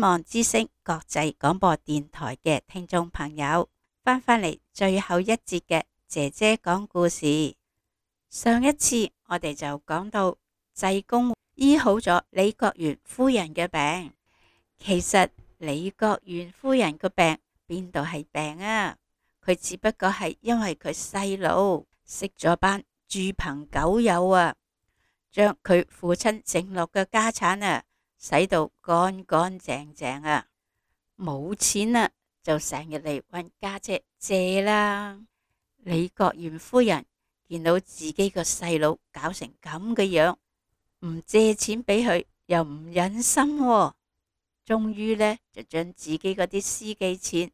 望之聲國際廣播電台嘅聽眾朋友，返嚟最後一節嘅姐姐講故事。上一次我哋就講到濟公醫好咗李國元夫人嘅病。其實李國元夫人個病邊度係病啊？佢只不過係因為佢細佬識咗班豬朋狗友啊，將佢父親剩落嘅家產啊使到乾乾淨淨啊，冇錢啊就成日嚟搵家姐借啦。李國元夫人見到自己個細佬搞成咁嘅樣，唔借錢俾佢又唔忍心喎。終於呢，就將自己嗰啲私己錢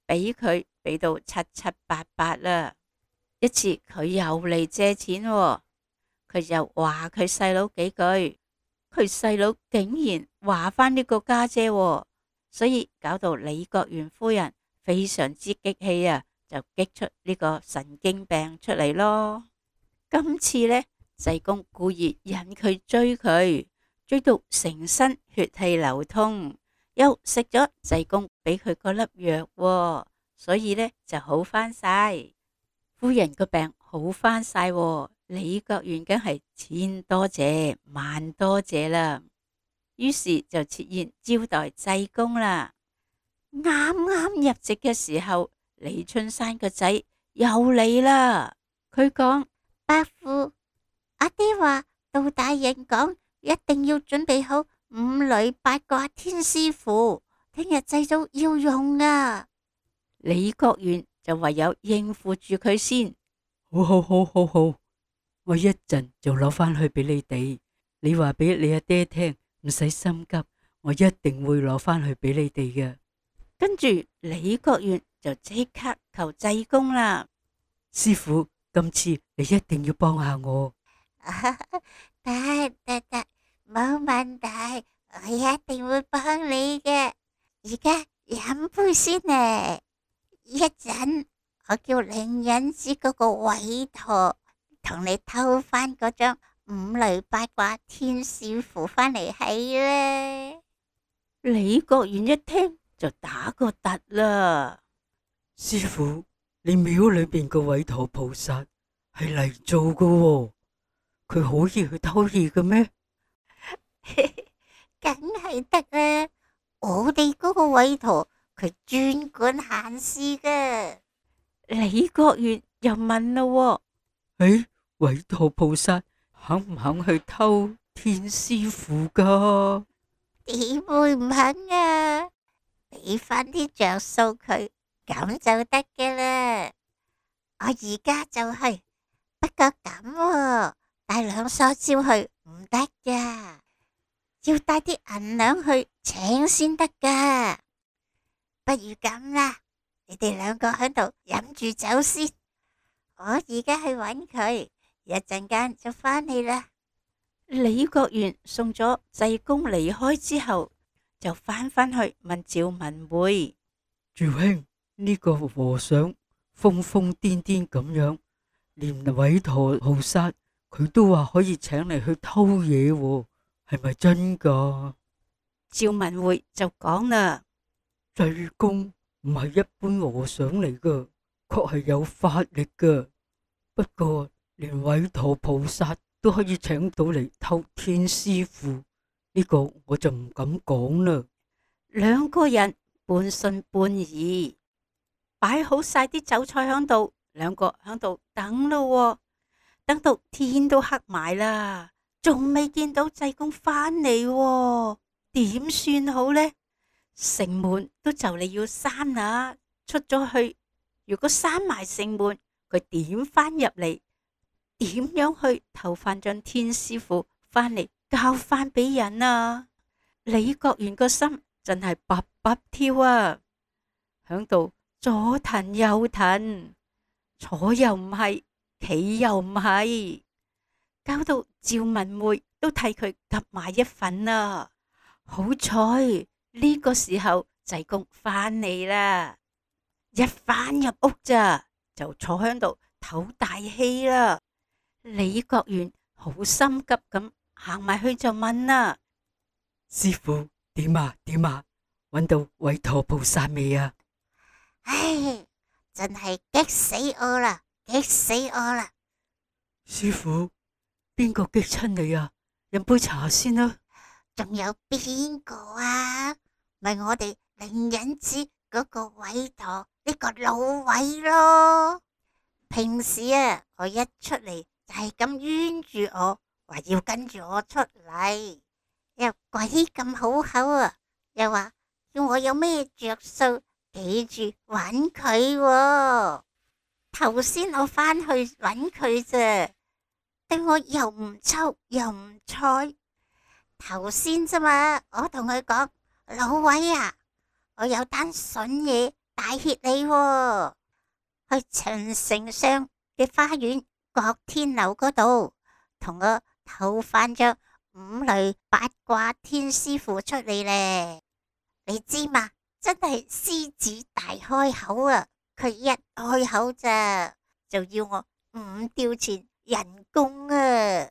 俾佢，俾到七七八八啦。一次佢又嚟借錢喎，佢又話佢細佬幾句，佢細佬竟然話返呢個家姐喎，所以搞到李國元夫人非常之激氣啊，就激出呢個神經病出嚟咯。今次呢，濟公故意引佢追到成身血氣流通，又食咗濟公俾佢嗰粒藥喎，所以呢就好返晒。夫人個病好返晒喎，李國元梗係千多謝萬多謝啦。於是就設宴招待濟公啦。啱啱入席嘅時候，李春山個仔又嚟啦。佢講：伯父，阿爹話到大人講，一定要準備好五雷八卦天師符，聽日祭祖要用啊。李國元就唯有應付住佢先。好，我一陣就攞返去俾你哋。你話俾你阿爹聽，唔使心急，我一定會攞返去俾你哋嘅。跟住李國元就即刻求濟公啦。師父，今次你一定要幫下我。得，冇問題，我一定會幫你嘅。而家飲杯先呢，一陣我叫靈隱寺嗰個韋陀同你偷翻嗰張五雷八卦天使符翻嚟係咧。李國元一聽就打個突啦。師父，你廟裏邊個韋陀菩薩係嚟做噶喎，佢可以去偷嘢嘅咩？梗係得啦，我哋嗰個韋陀佢專管閒事噶。李國元又問咯喎，韋陀菩薩肯唔肯去偷天師符噶？點會唔肯啊？俾翻啲着數佢，咁就得嘅啦。我而家就去，不過咁喎，帶兩梳蕉去唔得噶，要帶啲銀兩去請先得噶。不如咁啦，你哋兩個喺度飲住酒先，我而家去搵佢，一陣間就返嚟啦。李國元送咗濟公離開之後，就返去問趙文會：趙兄，呢個和尚瘋瘋癲癲咁樣，連韋陀菩薩佢都話可以請你去偷嘢喎，係咪真噶？趙文會就講啦：濟公唔係一般和尚嚟噶，確係有法力噶。不過連韋陀菩薩都可以請到嚟偷天師符，呢個我就唔敢講啦。兩個人半信半疑，擺好晒啲酒菜響度，兩個響度等咯喎，等到天都黑埋啦，仲未見到濟公返嚟喎，點算好呢？城門都就嚟要閂啦，出咗去，如果閂埋城門，佢點返入嚟？點樣去偷翻張天師符返嚟交翻俾人啊？李國元個心真係卜卜跳啊，響度左騰右騰，坐又唔係，企又唔係，搞到趙文會都替佢急埋一份啊！好彩呢個時候濟公返嚟啦，一返入屋咋就坐響度唞大氣啦。李國元好心急咁行埋去就問啦：師父，點啊？揾到韋陀菩薩未啊？唉，真係激死我啦，激死我啦！師傅，邊個激親你啊？飲杯茶先啦。仲有邊個啊？咪我哋靈隱寺嗰個韋陀呢個老韋咯。平時啊，我一出嚟就係咁冤住我，話要跟住我出嚟，又鬼咁好口啊，又話要我有咩着數，記住揾佢喎。頭先我返去揾佢啫，對我又唔抽又唔睬。頭先啫嘛，我同佢講，老韋啊，我有單筍嘢帶挈你喎。去長城上嘅花園國天樓嗰度，同我投翻張五雷八卦天師符出嚟咧。你知嘛？真係獅子大開口啊！佢一開口咋，就要我5吊錢人工啊！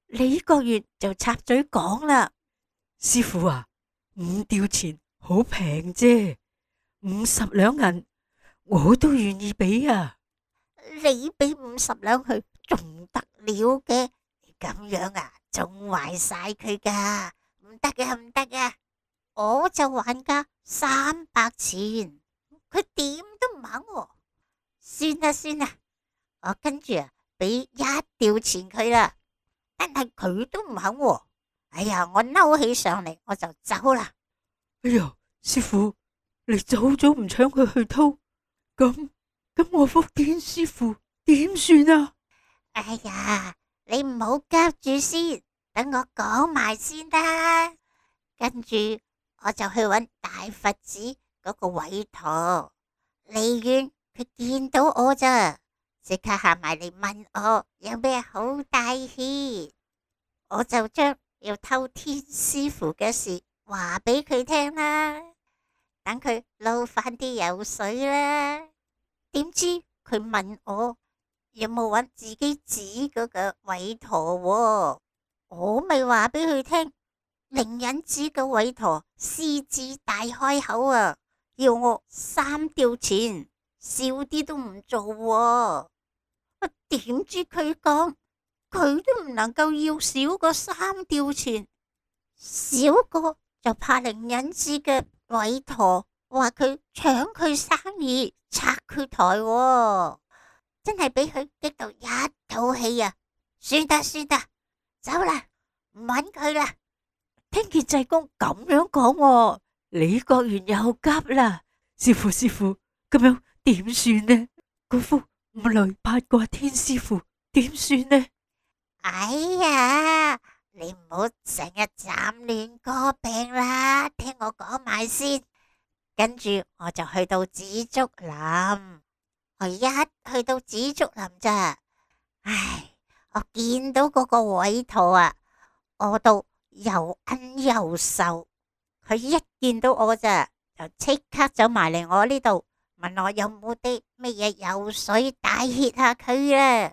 李國元就插嘴講啦：師傅啊，5吊錢好平啫，50兩銀我都願意俾啊！你俾50兩去，仲得了嘅？你咁樣啊，仲壞晒佢噶，唔得嘅，唔得嘅！我就還價300錢，佢點都唔肯喎。算啦算啦，我跟住啊，俾1吊錢佢啦，但係佢都唔肯喎。哎呀，我嬲起上嚟，我就走啦。哎呀，師傅，你早早唔搶佢去偷，咁我福建師傅點算啊？哎呀，你唔好急住先，等我講埋先啦。跟住我就去揾大佛寺嗰個韋陀，離遠佢見到我咋，即刻行埋嚟問我有咩好帶挈，我就將要偷天師符嘅事話俾佢聽啦，等佢撈翻啲油水啦。點知佢問我有冇揾自己指嗰個韋陀喎，我咪話俾佢聽，靈隱寺個韋陀獅子大開口啊，要我3吊錢，少啲都唔做喎。點知佢講佢都唔能夠要少過3吊錢，少過就怕靈隱寺嘅韋陀話佢搶佢生意，拆佢台喎。真係俾佢激到一肚氣啊！算得算得，走啦，唔揾佢啦。聽見濟公咁樣講喎，李國元又急啦：師傅師傅，咁樣點算呢？嗰幅五雷八卦天師符點算呢？哎呀，你唔好成日斬亂歌病啦，聽我講埋先。跟住我就去到紫竹林。我一去到紫竹林咋，唉，我見到嗰個韋陀啊，我到又奀又瘦。佢一見到我咋，就即刻走埋嚟我呢度，問我有冇啲乜嘢油水帶挈下佢啦。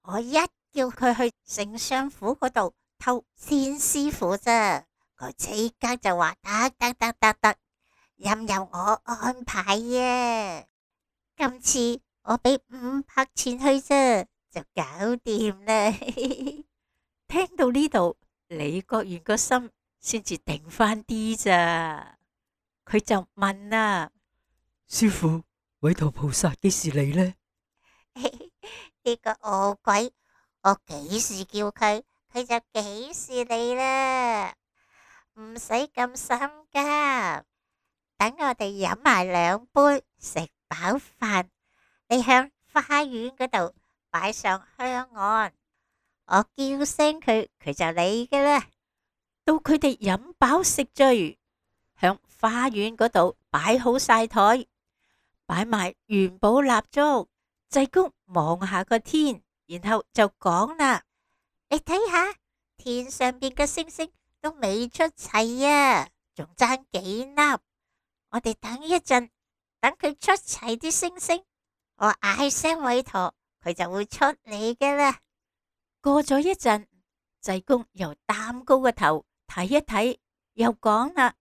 我一叫佢去丞相府嗰度偷天師符咋，佢即刻就話得，任由我安排啊。今次我俾500錢去啫，就搞掂啦。聽到呢度，李國元個心先至定翻啲咋，佢就問啦：師傅，韋陀菩薩幾時嚟呢？呢個餓鬼，我幾時叫佢，佢就幾時嚟啦，唔使咁心急。等我哋飲埋2杯，食飽飯，你向花園嗰度擺上香案，我叫聲佢，佢就嚟㗎啦。到佢哋飲飽食醉，向花園嗰度擺好晒台，擺埋元寶蠟燭。濟公望下個天，然後就講啦：你睇下天上邊嘅星星都未出齊啊，仲爭幾粒。我哋等一陣，等佢出齊啲星星，我嗌聲韋陀，佢就會出嚟㗎啦。過咗一陣，濟公又擔高個頭睇一睇，又講啦：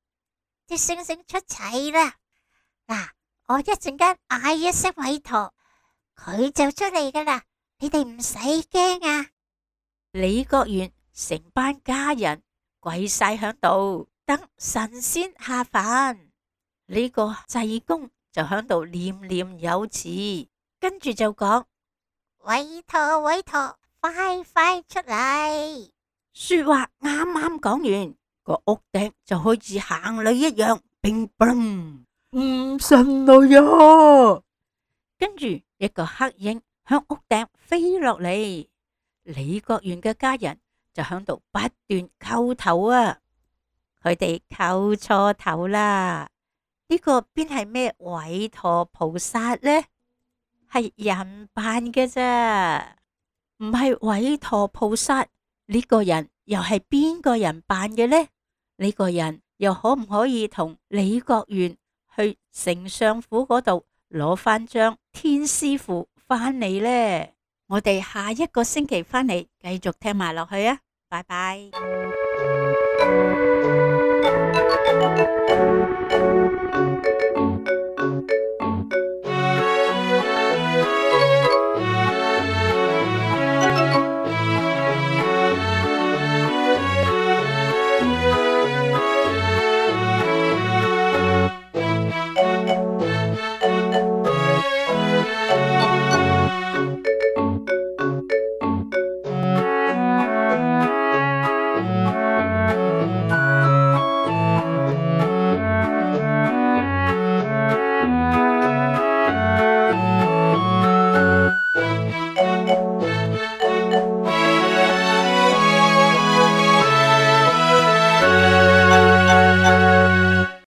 啲星星出齊啦。嗱，我一陣間嗌一聲韋陀，佢就出嚟噶啦，你哋唔使驚啊！李國元成班家人跪晒響度等神仙下凡，呢個濟公就響度念念有詞，跟住就講：韋陀，韋陀，快快出嚟！說話啱啱講完，個屋頂就好似行雷一樣，乒乓，唔信來呀！跟住一個黑影向屋頂飛落嚟，李國元嘅家人就響度不斷叩頭啊！佢哋叩錯頭啦！呢個邊係咩韋陀菩薩呢？係人扮嘅咋，唔係韋陀菩薩。呢個人又係邊個人扮嘅呢？呢個人又可唔可以同李國元去丞相府嗰度攞翻張天師符翻嚟呢？我哋下一個星期翻嚟繼續聽埋落去啊！拜拜。